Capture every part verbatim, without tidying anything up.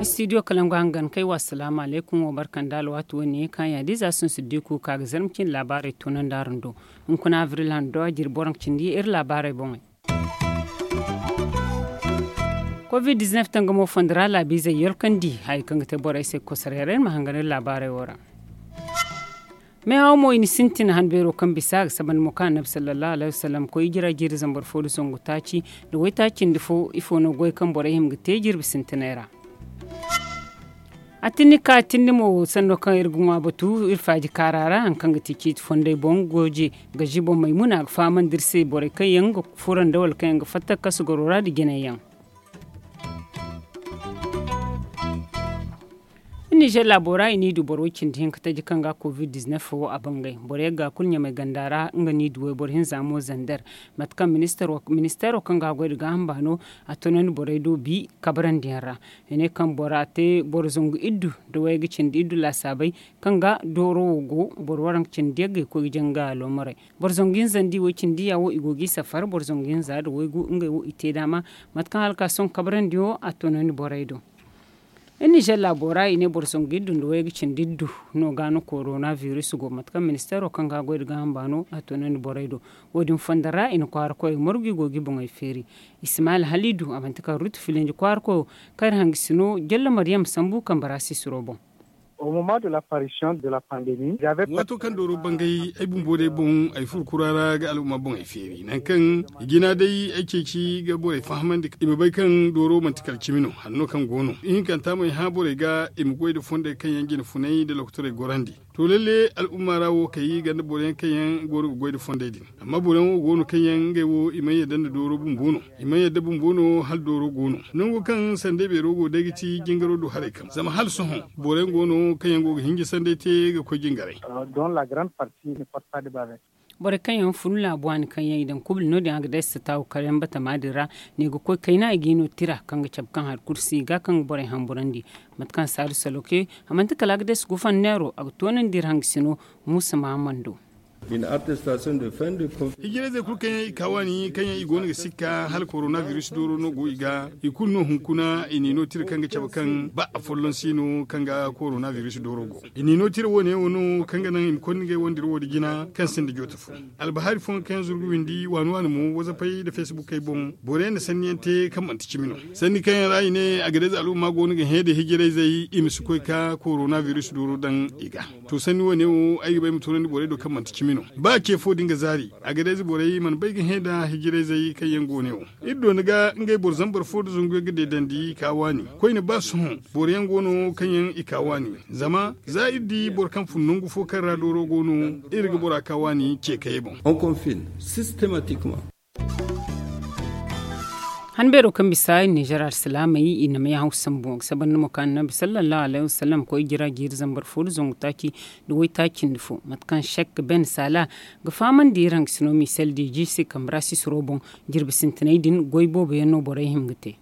Istidiyo kalangu hangan kay wa asalaamu alaykum wo barka nda alwaati wo ne kaŋ yaadiza sun siddiku ka ga zarma cindi laabaarey toonandi araŋ do. Hunkuna abril hando a jiri boro cindi iri laabaarey boŋey. Covid dizinef tangamo fondo ra laabiizey yolkandi haya kaŋ ga te borey se kosoray ra iri ma hangan iri laabaarey wo ra. Meehaw mo i na sintin han beero kaŋ bisa a ga saba nda mo kaŋ annabi sallallahu alayhi wasallam koy ijira jiiri zambar fo nda zangu taaci nda waytaaci nda fo ifo no goy kaŋ borey hima ga te jirbi sintinay ra. A tinni ka tinni mo sanno kaŋ iri ga ŋwa batu iri faaji kaara ra hari kaŋ ga ti ciiti fondey boŋ gooje gazi boŋ maymuna a ga fahamandi iri se borey kaŋ yaŋ ga furo nda wala kaŋ yaŋ ga fatta kasu garo ra nda jinay yaŋ. Iri nizer laabo ra i n'i du boro way cindi hinka taji kaŋ ga covid dizinef wo a bangay boro yagga kulu ɲamay ganda ra nga n'i du wayboro hinza mo zander. Mate kaŋ ministeero kaŋ ga a goy nda gaaham baano a toonandi borey do bi kabarandiyaŋ ra. I ne kaŋ bora te boro zangu iddu nda wayga cindi iddu laasaabey kaŋ ga dooro wo go boro waranka cindi yaggey koy ga janga aloomarey. Boro zangu hinza nda i way cindi ya wo i go ga i safar boro zangu hinza nda waygu ngey wo i te daama. Mate kaŋ hala ka sohõ kabarandiyaŋo a toonandi borey do. Iri nizer laabo ra i ne boro zangu iddu nda wayga cindi iddu no ga no korona biris go mate kaŋ ministeero kaŋ ga a goy nda gaaham baano a toonandi borey do. Wo- din fondo ra i na kwaara koyey margu i go ga i boŋey feeri. Ismaayil haliidu a manti kala rutu filinji kwaara koyo kaŋ iri hangasino jalla mariyam sambu kambe ra sisiro boŋ. Waato kaŋ dooro bangay ay bumbo day boŋ ay furo kura ra ga al'umma boŋey feeri nangu kaŋ i jina day ay ceeci ga borey fahamandi i ma bay kaŋ dooro manti kala cimi no hanno kaŋ go no ihinkanta mo ay hã borey ga i ma goy nda fondey kaŋ yaŋ jina funay nda lokotorey gorandi. To lalle al'umma ra wo kay ganda boro yaŋ kaŋ yaŋ go no ga goy nda fondey din. Amma boro yaŋ wo go no kaŋ yaŋ ngey wo i mana yadda nda dooro bumbo no. I mana yadda bumbo no hala dooro go no nango kaŋ sanday beero go day ga ti jingaro do haray kaŋ zama hala sohõ boro yaŋ go no kaŋ yaŋ go ga hinja sanday te ga koy jingaray. Borey kaŋ yaŋ fun laabu waani kaŋ yaŋ i daŋ kubli no- din a ga day si taawu kar yaŋ batama din ra. Ne ga koy kayna i ga i no tira kaŋ ga cabe kaŋ hari kulu si i ga kaŋ ga borey hamburandi. Mate kaŋ saadu saloke a manti kala a ga day si gufanneero a ga toonandi iri hangasino. Muusa mahamando. Hijirayzey kulu kaŋ yaŋ i ka waani kaŋ yaŋ i go no ga sikka hala korona biris dooro no go i ga i kulu no hunkuna i n'i no tira kaŋ ga cabe kaŋ ba afolloŋ si no kaŋ ga korona biris dooro go. I n'i no tira wo- ne wo no kaŋ ga naŋ i ma konda ngey wandiro wo- din jina kaŋ sinda joota fo. Albahari fooyaŋ kaŋ yaŋ zuru ga windi waani waani mo wazapey nda fesbukey boŋ boro yaŋ na sanni yaŋ te kaŋ manti cimi no. Sanni kaŋ yaŋ ra i ne a ga day za al'umma go no ga hẽ da hijirayzey i ma si koy ka korona biris dooro daŋ i ga. To sanni wo- ne wo ay ga ba ay ma toonandi borey do kaŋ manti cimi no ba ce fo din ga zaari. A ga day za borey mana bay ga hẽ da hijirayzey kaŋ yaŋ go ne wo. Iri doona ga ngey boro zambar fo nda zangu yaŋ ga deedandi ka waani koyne ba sohõ boro yaŋ go no kaŋ yaŋ i ka waani. Zama za iri di boro kaŋ fun nangu fo kaŋ ra dooro go no iri ga bora ka waani ce kayey boŋ. Han beero kaŋ bisa i nizer alsilaamey i na may haw sambu a ga sabanda mo kaŋ annabi sallallahu alayhi wasallam koy jira jiiri zambar fo nda zangu taaci nda waytaaci nda fo mate kaŋ sek ben saala ga fahamandi iri hangasino misel diiji se kambe ra sisiro boŋ. Jirbi sintinay din goy boobo yaŋ no borey hima ga te.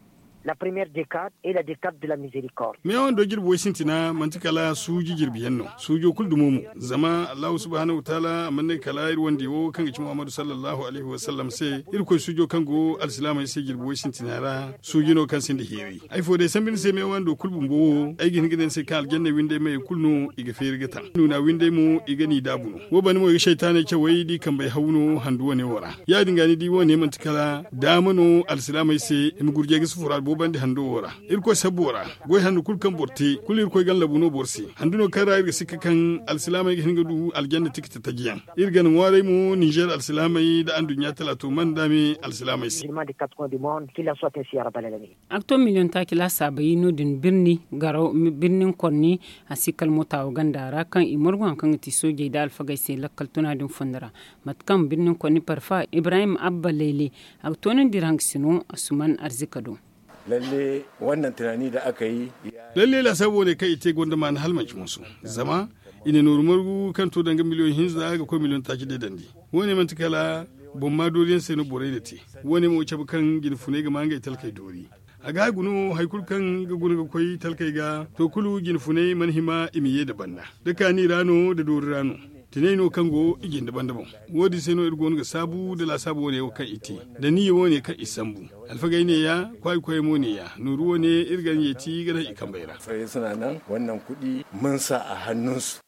Meeyaŋ wando jirbi way sintina manti kala suuji jirbi yaŋ no suujo kulu dumo mo. Zama allahu subhanahu wataala a mana ne kala iri wande wo kaŋ ga ci muhammadu sallallahu alayhi wasallam se irkoy suujo kaŋ go alsilaamey se jirbi way sintina ra. Suuji no kaŋ sinda heeri ay fo day sambu ni se meeyaŋ wando kulu bumbo wo ay ga hin ga ne ni se kaŋ aljanna windey meyey kulu no i ga feeri ga taŋ nuuna windey mo i ga n'i daabu no. Wo banda mo i ga saytaaney cawey da i kambey haw no handu wane wo ra. Ya- din ga ni di wo- ne manti kala daama no alsilaamey se i ma gurjey ga si furaadu boobandi hando wo ra. Irkoy sabbo ra goy handu kulu kaŋ boro te kulu irkoy ganda labu no boro se. Handu no kaŋ ra iri ga sikka kaŋ alsilaamey ga hin ga du aljanna tikita taji yaŋ. Iri gana ŋwaaray mo ninzeer alsilaamey nda anduɲɲa talaato man daame alsilaamey se. A ga to miliyoŋ taaci laasaabey no- din birni garaw birnin korni a si kala moota wo ganda ra kaŋ i margu hari kaŋ ga ti soojey nda alfagey se lakkal tuna din fondo ra. Mate kaŋ birnin korni parfa ibrahim abba layle a ga toonandi iri hangasino asuman arzika do. Lalle wannan tunani da aka yi. Lalle laasaabu wane kaŋ i te gonda maana hala manci moso. Zama i na nooru margu kaŋ to danga miliyoŋ hinza ga koy miliyoŋ taaci deedandi. Wo- ne manti kala boŋ maa dooriyaŋ se no borey na te. Wo- ne mo cabe kaŋ jine funay ga maa ngey talkey doori. A ga guna wo hari kulu kaŋ ga guna ga koy talkey ga to kulu jinfunay mana hima i ma ye nda banda da kaani ra no nda doori ra no. Tinay no kaŋ go i jinde banda boŋ. Wo- din se no iri go no ga saabu nda laasaabu wane wo kaŋ i te nda niyya wane kaŋ i sambu. Alfagey ne ya kwaayi koyey mo ne ya nooru wane iri ga njeeti ga daŋ i kambey ra. Suna nan wannan kuɗi mun sa a hannunsu.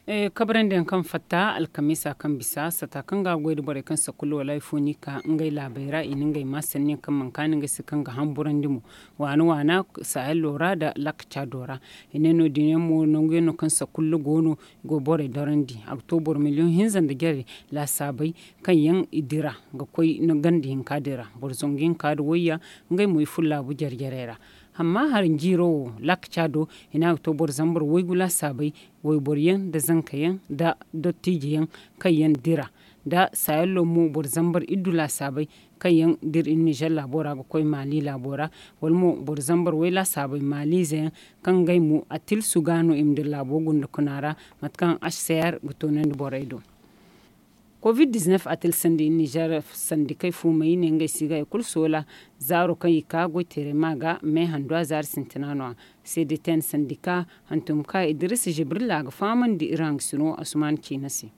Kabrandi yaŋ kaŋ fatta alkamiisa kaŋ bisa sata kaŋ ga a goy nda borey kaŋ sakkulu wala hari fo no i ka ngey laabey ra i na ngey ma sanni yaŋ kaŋ mana kaani ngey se kaŋ ga hamburandi mo waana waana saahello ra nda lakka caado ra. I ne no- din yaŋ mo nangu yaŋ no kaŋ sakkulu go no i go borey dorandi a ga to boro miliyoŋ hinza nda jare laasaabey kaŋ yaŋ i dira ga koy ganda hinka din ra. Boro zangu hinka nda wayya ngey mo i furo laabu jare jarey ra. Amma hari jiiro wo lakka caado i ne a ga to boro zambar waygu laasaabey wayboro yaŋ nda zanka yaŋ nda dottiije yaŋ kaŋ yaŋ dira nda saayallo mo boro zambar iddu laasaabey kaŋ yaŋ dira iri nizer laabo ra ga koy maali laabo ra. Wala mo boro zambar way laasaabey maaliize yaŋ kaŋ ngey mo a tilsu ga no i ma dira laabo gunda kuna ra mate kaŋ hcr ga toonandi borey do. Covid-19 a tilsandi nizer sandikey fuumey ne ngey si ga i kulu soola zaaro kaŋ i ka goyteeray ma ga me handu a zaari sintina no- ya. Cdtn sandika hantum ka idris jibrilla ga fahamandi iri hangasino asuman ciina se.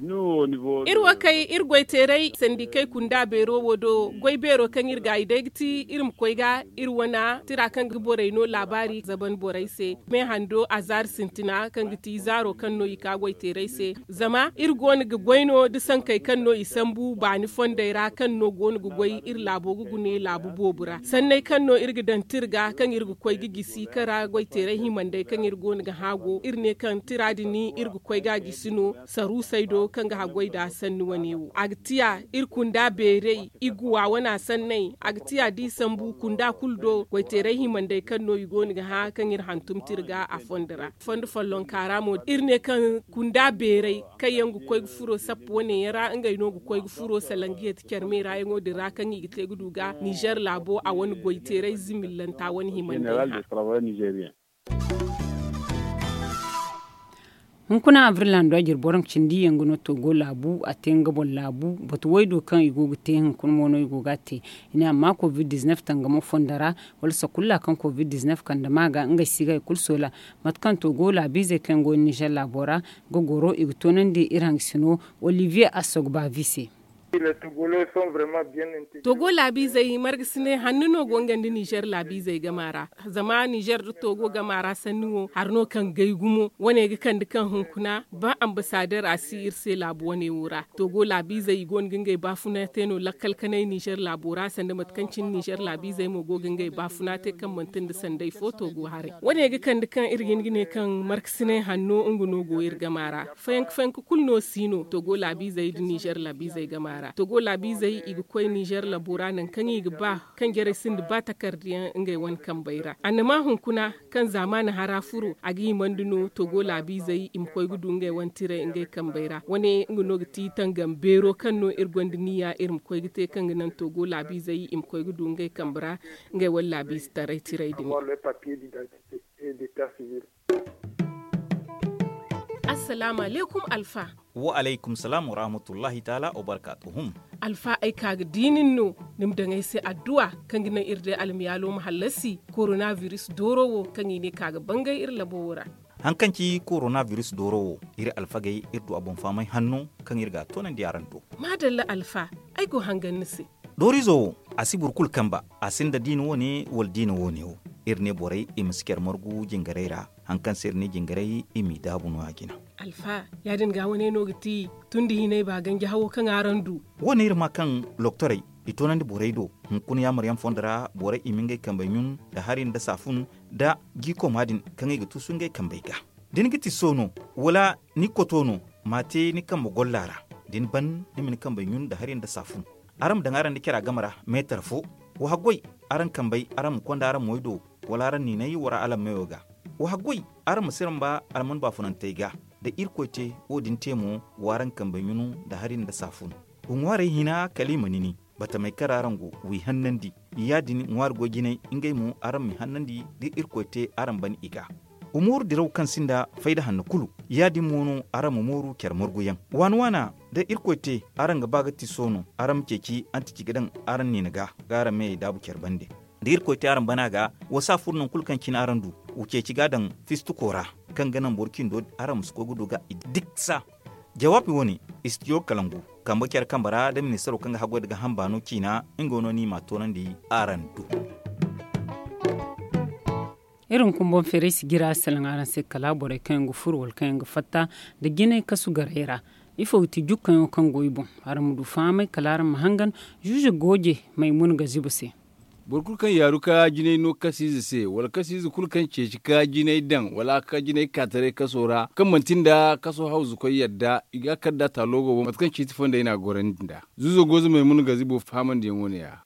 Iri wo kay iri goyteeray sandikey kunda beero wo do goy beero kaŋ iri ga i day ga ti iri ma koy ga iri wana tira kaŋ ga borey no laabaari zaban borey se me hando a zaari sintina kaŋ ga ti zaaro kaŋ no i ka goyteeray se. Zama iri go no ga goy no da sankey kaŋ no i sambu baani fondey ra kaŋ no go no ga goy iri laabo ga gune laabu boobo ra sanney kaŋ no iri ga daŋ tira ga kaŋ iri ga koy ga gisi kara goyteeray himandey kaŋ iri go no ga haago iri ne kaŋ tira din iri ga koy ga a gisi no saruusey do kaŋ ga haggoy nd'a sanni wane wo a ga tiya iri kunda beerey iguwa wana sanney a ga tiya da i sambu kunda kulu do goyteeray himandey kaŋ no i go no ga hã kaŋ iri hantum tira ga a fondo ra fondo follonka ra mo iri ne kaŋ kunda beerey kaŋ yaŋ ga koy ga furo sappa wane yaŋ ra ngey no ga koy ga furo salangiya ti care meera yaŋo din ra kaŋ i ga te ga du ga nizer laabo a wane goyteeray zimillanta wane himandey hã. Hunkuna abril hando a jire boro cindi yaŋ ga no togo laabu a te nga boŋ laabu batu waydo kaŋ i go ga te hunkuna mo no i go ga a te. I ne amma covid-19 tangamo fondo ra wala sakulla kaŋ covid-19 kande ma ga ngey si ga i kulu soola. Mate kaŋ togo laabiizey kaŋ yaŋ go nizer laabo ra ga goro i ga toonandi iri hangasino olivier assogbavi se. Togo laabiizey marga si ne hanno no go nga nda nizer laabiizey gama ra. Zama nizer nda togo gama ra sanni wo hari no kaŋ gay gumo wane ga kande kaŋ hunkuna ba ambasader a si iri se laabu wane wo ra. Togo laabiizey i go no ga ngey baafuna te no lakkal kanay nizer laabo ra sanda mate kaŋ cine nizer laabiizey mo go ga ngey baafuna te kaŋ manti nda sanday fo togo haray wane ga kande kaŋ iri ga hin ga ne kaŋ markasinay hanno nga no go iri gama ra. Fayanka fayanka kulu no si no togo laabiizey nda nizer laabiizey gama ra togo laabiizey i ga koy nizer labo ra nangu kaŋ i ga ba kaŋ jarey sinda ba takardiyaŋ ngey wane kambey ra annama hunkuna kaŋ zaamaani hara furo a ga himandi no togo laabiizey i ma koy ga du ngey wane tiray ngey kambey ra wane nga no ga ti tangam beero kaŋ no iri gonda niya iri ma koy ga te kaŋ ga naŋ togo laabiizey i ma koy ga du ngey kambe ra ngey wane laabiize taray tiray din. Assalaamu alaykum alfa. Wa alaykum salaam warahmatullahi taala wabarkaatuhum. Alfa ay ka ga di nin no ni ma daŋ ay se adduwa kaŋ ga naŋ iri day almiyaalo ma hallasi korona biris dooro wo kaŋ i ne ka ga bangay iri labo wo ra. Haŋ kaŋ ci korona biris dooro wo iri alfagey iri du a boŋ fahamay hanno kaŋ iri ga a toonandi araŋ do. Maadalla alfa, ay go hangan ni se. Dooriizo wo a si boro kulu kamba. A sinda diina wo- ne wala diina wo- ne wo. Iri ne borey i ma si care margu jingarey ra. Haŋ kaŋ se iri ne jingarey i m'i daabu no- ya jina. Alfa, ya- din ga wane no ga ti tun da hinay ba ganji hawo kaŋ araŋ du. Wo- ne iri ma kaŋ loktorey i toonandi borey do. Hunkuna yaamaryaŋ fondo ra borey i ma ngey kambey ɲun nda hari nda saafun nda jiikoma din kaŋ i ga tuusu ngey kambey ga. Da ni ga ti soono wala ni koto no, m'a te ni kambe golla ra. Da ni ban ni ma ni kambey ɲun nda hari nda saafun. Araŋ ma daŋ araŋ nda cara game ra meetar fo. Wa haggoy araŋ kambey araŋ ma konda araŋ moy do, wala araŋ niinay wara alammeyo ga. Wa haggoy araŋ ma siramba alman baafunantey ga. Da irkoy te wo- din te mo, w'araŋ kambey ɲunu nda hari nda saafun. Wa ŋwaarey hina kala i ma nini. Batamey kaŋ ra araŋ go, w'i hannandi. Ya- din ŋwaari goy jinay ngey mo araŋ m'i hannandi da irkoy te araŋ ban i ga. Wa mooru diraw kaŋ sinda fayda hanno kulu. Ya- din mo no araŋ ma mooru care marguyaŋ. Waana waana da irkoy te araŋ ga ba ga ti soono araŋ ma ceeci antici ga daŋ araŋ niina ga ga araŋ meyey daabu care bande. Da irkoy te araŋ bana ga, wa si a furo nangu kulu kaŋ cine araŋ du. Wa ceeci ga a daŋ fistuko ra, kaŋ ga naŋ boro cindo araŋ ma si koy ga du ga i diksa. Jawaabi wane, istidiyo kalangu, kambe care kambe ra nda ministaro kaŋ ga haggoy nda ga hamba no ciina, nga no ni ma a toonandi araŋ do. Iri hunkuna boŋ feeray si jira salaŋ araŋ se kala borey kaŋ yaŋ ga furo wala kaŋ yaŋ ga fatta nda jinay kasu garay ra. Ifo ga ti jukkaŋo kaŋ go i boŋ? Araŋ ma du fahamay kala araŋ ma hangan zuuze gooje maymuna ga ziba se. Boro kulu kaŋ yaaru ka jinay no kasiize se wala kasiize kulu kaŋ ceeci ka jinay daŋ wala ka jinay kaataray kaso ra kaŋ manti nda kaso hawzukoy yadda, i ga a kar nd'a taalogo boŋ mate kaŋ ciiti fondey no a gorandi nd'a. Zuuzo gooze maymuna ga zibo fahamandiyaŋo ne ya.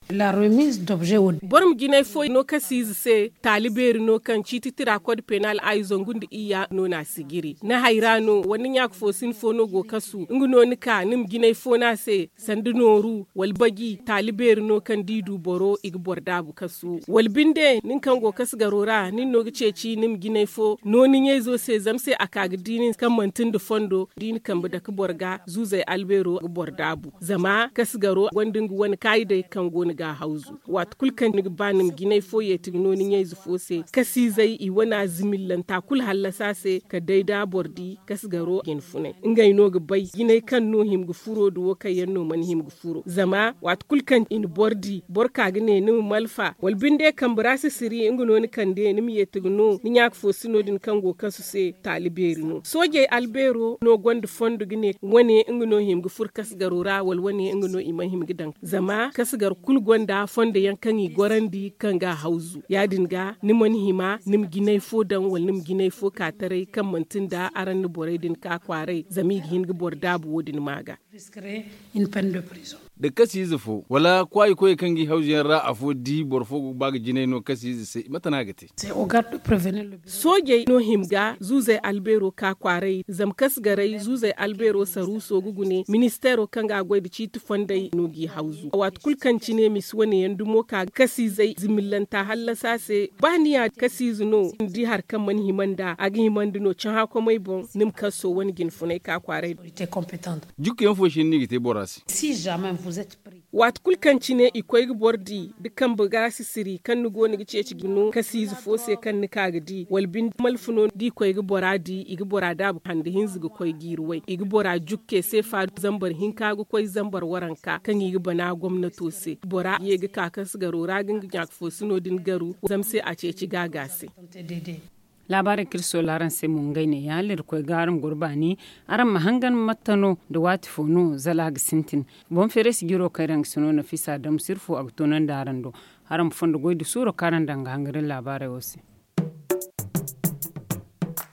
Boro ma jinay fo no kasiize se, taali beeri no kaŋ ciiti tira kod penal ay zangu nda iyya no no a si jiri ni hayra no wala ni ɲaaka fo sin fo no go kasu nga no ni ka ni ma jinay fo no a se. Sanda nooru wala baji taali beeri no kaŋ da i du boro i ga boro daabu kasu wala binde nin kaŋ go kasu garo ra nin no ga ceeci ni ma jinay fo no ni ɲayzo se zama se a ka ga di nin kaŋ manti nda fondo da i na kambe dake boro ga zuuzey albeero ga boro daabu. Zama kasu garo gonda nga wane kaayidey kaŋ go ni ga a hawzu waati kulu kaŋ ni ga ba ni ma jinay fo yeeti ga no ni ɲayze fo se kasiizey i wana zimillanta kulu hallasa se ka day da boro di kasu garo jinfunay ngey no ga bay jinay kaŋ no hima ga furo da wo kaŋ yaŋ no mana hima ga furo zama waati kulu kaŋ i na boro di boro ka ga ne ni ma malfa wala binde kambe ra sisiri nga no ni kande ni ma yeeti ga no ni ɲaaka fo sino din kaŋ go kasu se taali beeri no soojey albeero no gonda fondo ga ne wane nga no hima ga furo kasu garo ra wala wane nga no i mana hima ga daŋ zama kasu gar kulu gonda fondo yaŋ kaŋ i gorandi kaŋ ga a hawzu ya- din ga ni mana hima ni ma jinay fo daŋ wala ni ma jinay fo ka taray kaŋ manti nda araŋ na borey din ka kwaaray zama i ga hin ga boro daabu wo- din ma ga. Da kasiize fo wala kwaayi koyey kaŋ ga i hawzu yaŋ ra afo di boro fo go ga ba ga jinay no kasiize se mate no a ga te? Soojey no hima ga zuuzey albeero ka kwaaray zama kasu garay zuuzey albeero saruuso ga gune ministeero kaŋ ga a goy nda ciiti fondey no g'i hawzu waati kulu kaŋ cine misi wane yaŋ dumo ka ga kasiizey zimillanta hallasa se ba ni ya kasiize no ni di hari kaŋ mana hima nd'a a ga hima nda no cahãkomey boŋ ni ma kaso wane jinfunay ka kwaaray. Jukku yaŋ fo se no ni ga te bora se? Waati kulu kaŋ cine i koy ga boro di da kambe ga sisiri kaŋ ni go no ga ceeci ga no kasiize fo se kaŋ ni ka ga di wala binde malfa no da i koy ga bora di i ga bora daabu hande hinza ga koy jiiri way i ga bora jukke seefa zambar hinka ga koy zambar waranka kaŋ i ga bana gomnato se bora ye ga ka kasu garo ra ga nga ɲaaka fo sino din garu zama se a ceeci gaaga se. Laabaarey kaŋ iri soola araŋ se mo ngey ne ya hala iri koy ga araŋ goro baani araŋ ma hangan matta no nda waati fo no zala a ga sintin. Boŋ feeray si jiro kaŋ iri yaŋ ga si no nafiisa damu sirfo a ga toonandi araŋ do. Araŋ ma fondo goy nda suuro kaŋ araŋ daŋ ga hangan iri laabaarey wo se.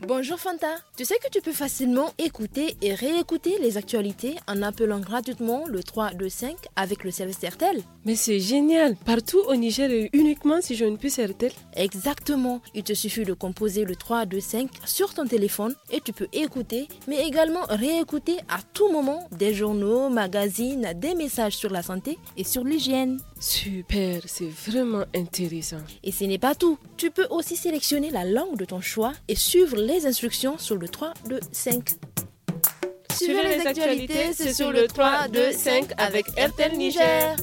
Bonjour Fanta. Tu sais que tu peux facilement écouter et réécouter les actualités en appelant gratuitement le trois deux cinq avec le service Airtel. Mais c'est génial. Partout au Niger et uniquement si j'ai une puce Airtel. Exactement. Il te suffit de composer le trois deux cinq sur ton téléphone et tu peux écouter mais également réécouter à tout moment des journaux, magazines, des messages sur la santé et sur l'hygiène. Super, c'est vraiment intéressant. Et ce n'est pas tout. Tu peux aussi sélectionner la langue de ton choix et suivre les instructions sur le trois deux cinq. Suivez les actualités, c'est sur le trois deux cinq avec Airtel Niger.